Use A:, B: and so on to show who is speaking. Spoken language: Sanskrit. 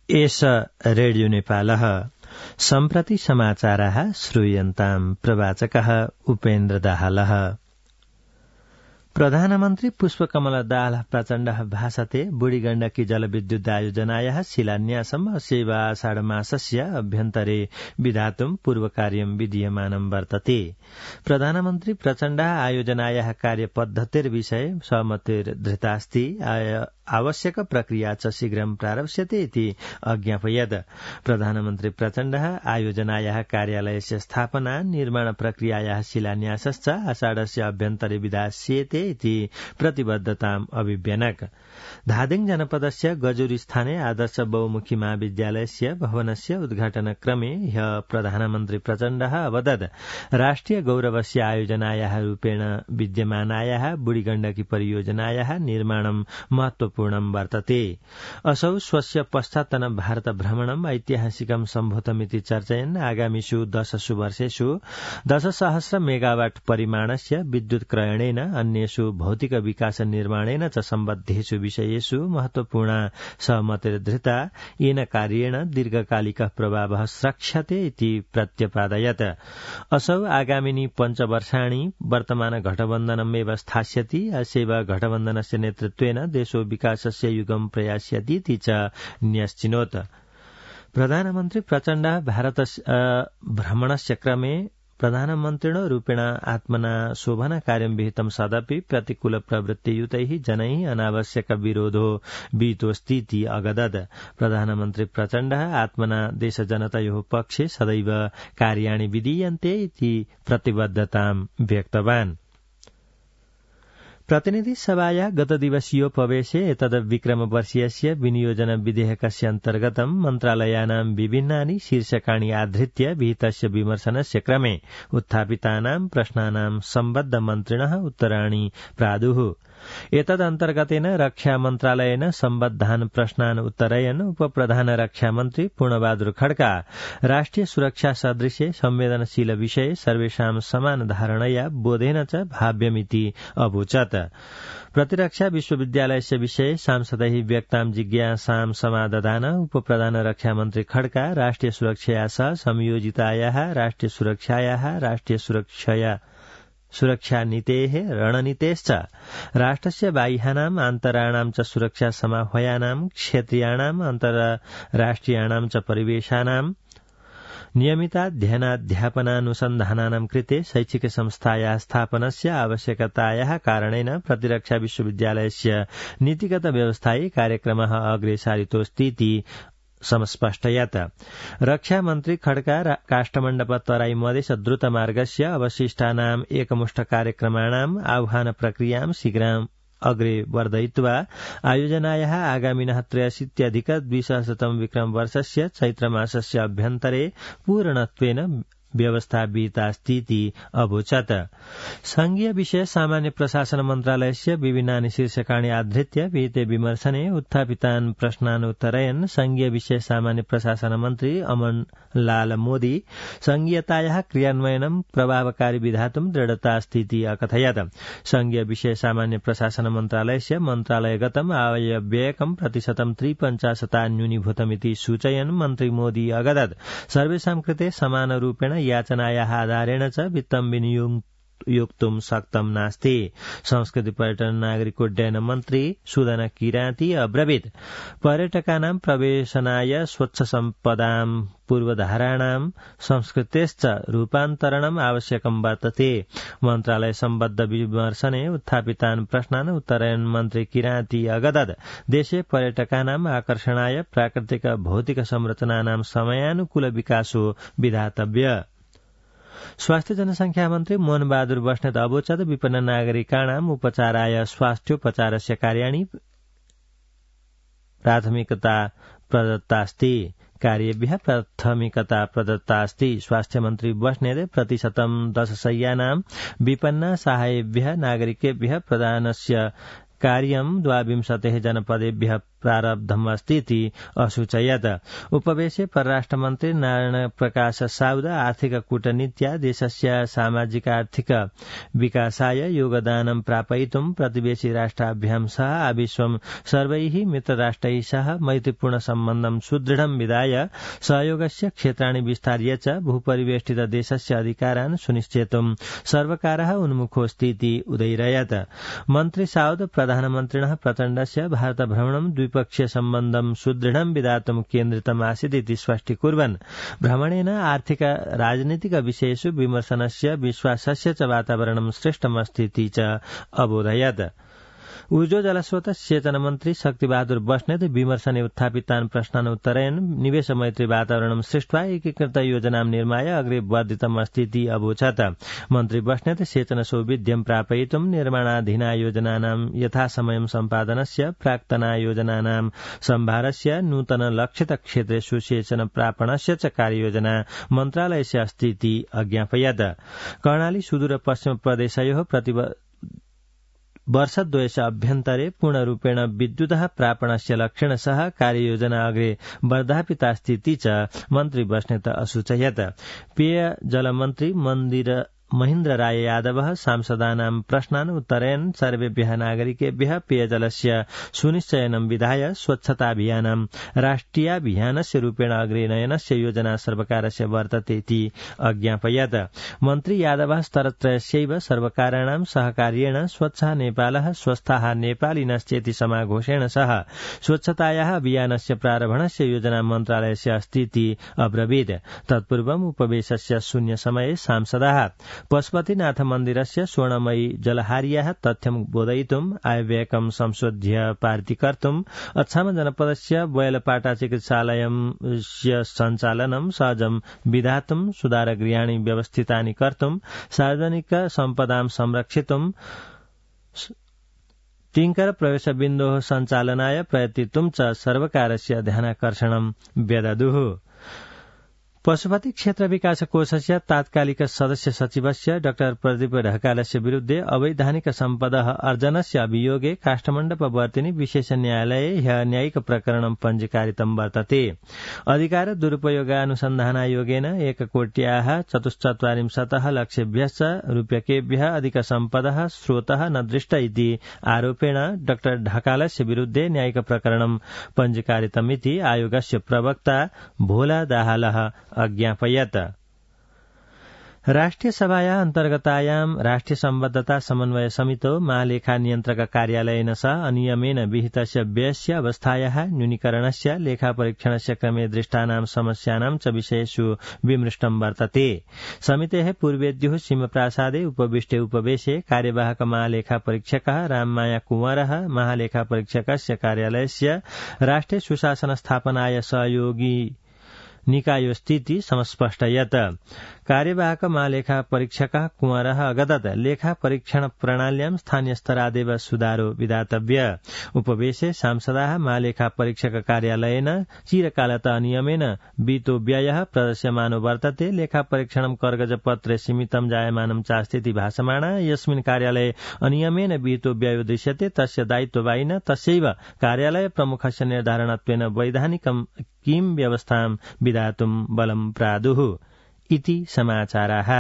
A: एष रेडियो नेपालः सम्प्रति समाचाराः श्रूयन्ताम् प्रवाचकः उपेन्द्र दाहालः। प्रधानमन्त्री पुष्पकमल दाहाल प्रचण्डः भाषते बुढी गण्डकी जलविद्युत आयोजनायाः शिलान्यासम् अस्यैव आषाढमासस्य अभ्यन्तरे विधातुम् पूर्वकार्यम् विधीयमानम् वर्तते। प्रधानमन्त्री प्रचण्डः आयोजनायाः कार्यपद्धतिर्विषये सहमतिर्धृतास्ति, आवश्यक प्रक्रिया च शीघ्रं प्रारप्स्यते इति अज्ञापयत्। प्रधानमन्त्री प्रचण्डः आयोजनायाः कार्यालयस्य स्थापना निर्माण प्रक्रियायाः शिलान्यासश्च आषाढस्य अभ्यन्तरे विधास्येते इति प्रतिबद्धताम् अभिव्यनक। धादिङ जनपदस्य गजुरी स्थाने आदर्श बहुमुखी महाविद्यालयस्य भवनस्य उद्घाटनक्रमे ह्यः प्रधानमन्त्री प्रचण्डः अवदत् राष्ट्रिय गौरवस्य आयोजनायाः रूपेण विद्यमानायाः बुढी गण्डकी परियोजनायाः निर्माणं महत्वपूर्णं वर्तते। असौ स्वस्य पश्चात्तन भारत भ्रमणम् ऐतिहासिकं सम्भूतमिति चर्चयन् आगामिषु 10 वर्षेषु 10,000 मेगावाट परिमाणस्य विद्युत क्रयणेन अन्येषु भौतिक विकास निर्माणेन च सम्बद्धेषु विषयेषु महत्वपूर्णा सहमतिर्धृता, येन कार्येण दीर्घकालिकः प्रभावः स्रक्ष्यते इति प्रत्यपादयत्। असौ आगामिनि 5 वर्षाणि वर्तमान घटबन्धनमेव स्थास्यति, अस्यैव घटबन्धनस्य नेतृत्वेन देशो विकासस्य युगं प्रयास्यतीति च न्यश्चिनोत्। प्रधानमन्त्री प्रचण्डः भारतस्य भ्रमणस्य क्रमे प्रधानमन्त्रिणो रूपेण आत्मना शोभन कार्यं विहितं सदपि प्रतिकूल प्रवृत्तियुतैः जनैः अनावश्यक विरोधो विहितोऽस्तीति अगदत्। प्रधानमन्त्री प्रचण्डः आत्मना देशजनतयोः पक्षे सदैव कार्याणि विधीयन्ते इति प्रतिबद्धतां व्यक्तवान्। प्रतिनिधि सभाया गतदिवसीयोपवेशे एतद् विक्रमवर्षीयस्य विनियोजन विधेयकस्य अन्तर्गतं मन्त्रालयानां विभिन्नानि शीर्षकाणि आधृत्य विहितस्य विमर्शनस्य क्रमे उत्थापितानां प्रश्नानां सम्बद्ध मन्त्रिणः उत्तराणि प्रादुः। एतदन्तर्गतेन रक्षा मन्त्रालयेन सम्बद्धान् प्रश्नान् उत्तरयन् उपप्रधान रक्षामन्त्री पूर्णबहादुर खड्का राष्ट्रिय सुरक्षा सदृशे संवेदनशील विषये सर्वेषां समान धारणया बोधेन च भाव्यमिति अवोचत्। प्रतिरक्षा विश्वविद्यालयस्य विषये सांसदैः व्यक्तां जिज्ञासां समादधान उपप्रधान रक्षामन्त्री खड्का राष्ट्रिय सुरक्षया सह संयोजितायाः राष्ट्रिय सुरक्षा नीतेः रणनीतेश्च राष्ट्रस्य बाह्यानाम् आन्तराणां च सुरक्षा समाह्वयानां क्षेत्रीयाणाम् अन्तर्राष्ट्रियाणां च परिवेशानां नियमिताध्ययनाध्यापनानुसन्धानानां कृते शैक्षिक संस्थायाः स्थापनस्य आवश्यकतायाः कारणेन प्रतिरक्षा विश्वविद्यालयस्य नीतिगत व्यवस्थायी कार्यक्रमः अग्रे सारितोऽस्तीति समस्पष्टयत्। रक्षामन्त्री खड्का काष्ठमण्डप तराई मधेस द्रुतमार्गस्य अवशिष्टानाम् एकमुष्ट कार्यक्रमाणाम् आह्वान प्रक्रियां शीघ्रम् अग्रे वर्धयित्वा आयोजनायाः आगामिनः 83-2000 विक्रमवर्षस्य चैत्रमासस्य अभ्यन्तरे पूर्णत्वेन व्यवस्था विहितास्तीति अवोचत्। संघीय विषय सामान्य प्रशासन मन्त्रालयस्य विभिन्नानि शीर्षकाणि आधृत्य विहिते विमर्शने उत्थापितान् प्रश्नान् उत्तरयन् संघीय विषय सामान्य प्रशासन मन्त्री अमन लाल मोदी संघीयतायाः क्रियान्वयनं प्रभावकारी विधातुं दृढतास्तीति अकथयत्। संघीय विषय सामान्य प्रशासन मन्त्रालयस्य मन्त्रालयगतम् आयव्ययकं प्रतिशतं 53% न्यूनीभूतमिति सूचयन् मन्त्री मोदी अगदत् सर्वेषां कृते समानरूपेण याचनायाः आधारेण च वित्तं विनियोक्तुं शक्तं नास्ति। संस्कृति पर्यटन नागरिकोड्डयन मन्त्री सुदन किराती अब्रवीत् पर्यटकानां प्रवेशनाय स्वच्छ सम्पदां पूर्वधाराणां संस्कृतेश्च रूपान्तरणम् आवश्यकं वर्तते। मन्त्रालय सम्बद्ध विमर्शने उत्थापितान् प्रश्नान् उत्तरयन् मन्त्री किराती अगदत् देशे पर्यटकानाम् आकर्षणाय प्राकृतिक भौतिक संरचनानां समयानुकूल विकासो विधातव्य। स्वास्थ्य जनसंख्या मन्त्री मोहन बहादुर बस्नेत अवोचत् विपन्न नागरिकाणाम् उपचाराय स्वास्थ्योपचारस्य कार्याणि प्राथमिकता प्रदत्तास्ति। कार्येभ्यः प्राथमिकता प्रदत्तास्ति। स्वास्थ्य मन्त्री बस्नेत प्रतिशतं 10 शय्यानां विपन्न सहायेभ्यः नागरिकेभ्यः प्रदानस्य कार्यं 22 जनपदेभ्यः प्रारब्धमस्ति इति असूचयत्। उपवेशे परराष्ट्रमन्त्री नारायण प्रकाश साउद आर्थिक कूटनीत्या देशस्य सामाजिक आर्थिक विकासाय योगदानं प्रापयितुं प्रतिवेशी राष्ट्राभ्यां सह आविश्वं सर्वैः मित्रराष्ट्रैः सह मैत्रीपूर्ण सम्बन्धं सुदृढं विधाय सहयोगस्य क्षेत्राणि विस्तार्य च भूपरिवेष्टित देशस्य अधिकारान् सुनिश्चेतुं सर्वकारः उन्मुखोऽस्ति इति उदैरयत्। मन्त्री साउद प्रधानमन्त्रिणः प्रचण्डस्य भारतभ्रमणं द्विपक्षीय सम्बन्धं सुदृढं विधातुं केन्द्रितमासीत् इति स्पष्टीकुर्वन् भ्रमणेन आर्थिक राजनीतिक विषयेषु विमर्शनस्य विश्वासस्य च वातावरणं सृष्टमस्ति इति च अबोधयत्। ऊर्जो जलस्रोत सेचन मन्त्री शक्तिबहादुर बस्नेत विमर्शने उत्थापितान् प्रश्नान् उत्तरयन् निवेश मैत्री वातावरणं सृष्ट्वा एकीकृत योजनां निर्माय अग्रे वर्धितमस्ति इति अवोचत्। मन्त्री बस्नेत सेचन सौविध्यं प्रापयितुं निर्माणाधीना योजनानां यथासमयं सम्पादनस्य प्राक्तना योजनानां सम्भारस्य नूतन लक्षित क्षेत्रेषु सेचन प्रापणस्य च कार्ययोजना मन्त्रालयस्य अस्ति इति अज्ञापयत्। कर्णाली सुदूर पश्चिम प्रदेशयोः वर्षद्वयस्य अभ्यन्तरे पूर्णरूपेण विद्युतः प्रापणस्य लक्ष्येण सह कार्ययोजना अग्रे वर्धापितास्ति इति च मन्त्री बस्नेत असूचयत्। पेय जलमन्त्री महेन्द्र राय यादवः सांसदानां प्रश्नान् उत्तरयन् सर्वेभ्यः नागरिकेभ्यः पेयजलस्य सुनिश्चयनं विधाय स्वच्छताभियानं राष्ट्रियाभियानस्य रूपेण अग्रे नयनस्य योजना सर्वकारस्य वर्तते इति अज्ञापयत्। मन्त्री यादवः स्तरत्रयस्यैव सर्वकाराणां सहकार्येण स्वच्छः नेपालः स्वस्थाः नेपालिनश्चेति समाघोषेण सह स्वच्छतायाः अभियानस्य प्रारम्भणस्य योजना मन्त्रालयस्य अस्ति इति अब्रवीत्। तत्पूर्वम् उपवेशस्य शून्यसमये सांसदाः पशुपतिनाथ मन्दिरस्य स्वर्णमयी जलहार्याः तथ्यं बोधयितुम् आयव्ययकं संशोध्य पारितीकर्तुम् अछाम जनपदस्य बैलपाटा चिकित्सालयस्य सञ्चालनं सहजं विधातुं सुधारगृहाणि व्यवस्थितानि कर्तुं सार्वजनिक सम्पदां संरक्षितुं तिङ्कर प्रवेशबिन्दोः सञ्चालनाय प्रयतितुं च सर्वकारस्य ध्यानाकर्षणं व्यददुः। पशुपति क्षेत्र विकास कोषस्य तात्कालिक सदस्य सचिवस्य डाक्टर प्रदीप ढकालस्य विरुद्धे अवैधानिक सम्पदः अर्जनस्य अभियोगे काष्ठमण्डपवर्तिनि विशेष न्यायालये ह्यः न्यायिक प्रकरणं पञ्जीकारितं वर्तते। अधिकार दुरुपयोगानुसन्धानायोगेन 1,44,00,000 लक्षेभ्यश्च रूप्यकेभ्यः अधिक सम्पदः स्रोतः न दृष्ट इति आरोपेण डाक्टर ढकालस्य विरुद्धे न्यायिक प्रकरणं पञ्जीकारितमिति आयोगस्य प्रवक्ता भोला दाहालः अज्ञापयत्। राष्ट्रिय सभाया अन्तर्गतायां राष्ट्रिय सम्बद्धता समन्वय समितौ महालेखा नियन्त्रक कार्यालयेन सह अनियमेन विहितस्य व्ययस्य अवस्थायाः न्यूनीकरणस्य लेखापरीक्षणस्य क्रमे दृष्टानां समस्यानां च विषयेषु विमृष्टं वर्तते। समितेः पूर्वेद्युः सिंहप्रासादे उपविष्टे उपवेशे कार्यवाहक महालेखापरीक्षकः राममाया कुंवरः महालेखापरीक्षकस्य कार्यालयस्य राष्ट्रिय सुशासन स्थापनाय सहयोगी निकायोस्थिति समस्पष्टयत्। कार्यवाहक महालेखा परीक्षकः कुंवरः अगदत् लेखा परीक्षण प्रणाल्यां स्थानीय स्तरादेव सुधारो विधातव्य। उपवेशे सांसदाः महालेखा परीक्षक कार्यालयेन चिरकालतः अनियमेन वित्तो व्ययः प्रदर्श्यमानो वर्तते। लेखा परीक्षणं कर्गजपत्रे सीमितं जायमानं चास्तीति भाषमाणा यस्मिन् कार्यालये अनियमेन वित्तो व्ययो दृश्यते तस्य दायित्ववाहिना तस्यैव कार्यालय प्रमुखस्य निर्धारणत्वेन वैधानिकं किं व्यवस्थां विधातुं बलं प्रादुः इति समाचाराः।